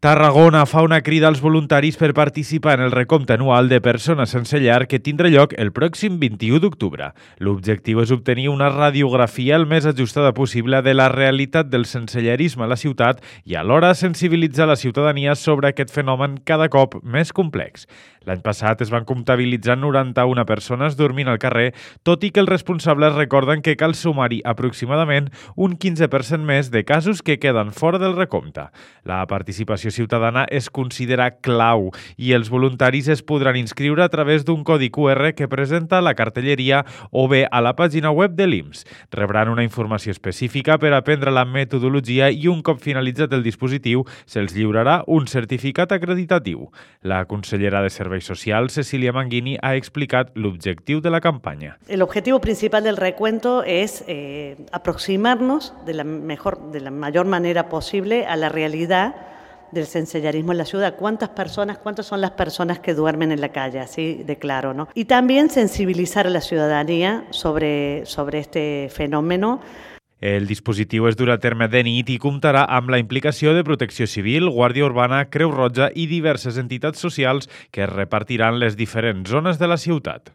Tarragona fa una crida als voluntaris per participar en el recompte anual de persones sense llar que tindrà lloc el pròxim 21 d'octubre. L'objectiu és obtenir una radiografia el més ajustada possible de la realitat del sensellarisme a la ciutat i alhora sensibilitzar la ciutadania sobre aquest fenomen cada cop més complex. L'any passat es van comptabilitzar 91 persones dormint al carrer, tot i que els responsables recorden que cal sumar-hi aproximadament un 15% més de casos que queden fora del recompte. La participació ciutadana es considera clau i els voluntaris es podran inscriure a través d'un codi QR que presenta la cartelleria o bé a la pàgina web de l'IMS. Rebran una informació específica per aprendre la metodologia i un cop finalitzat el dispositiu se'ls lliurarà un certificat acreditatiu. La consellera de Serveis Socials, Cecília Manguini, ha explicat l'objectiu de la campanya. El objetivo principal del recuento es aproximarnos de la mayor manera posible a la realidad del sensellarismo en la ciudad. ¿Cuántas son las personas que duermen en la calle? Así de claro, ¿no? Y también sensibilizar a la ciudadanía sobre este fenómeno. El dispositiu es durà a terme de nit i comptarà amb la implicació de Protecció Civil, Guàrdia Urbana, Creu Roja i diverses entitats socials que es repartiran les diferents zones de la ciutat.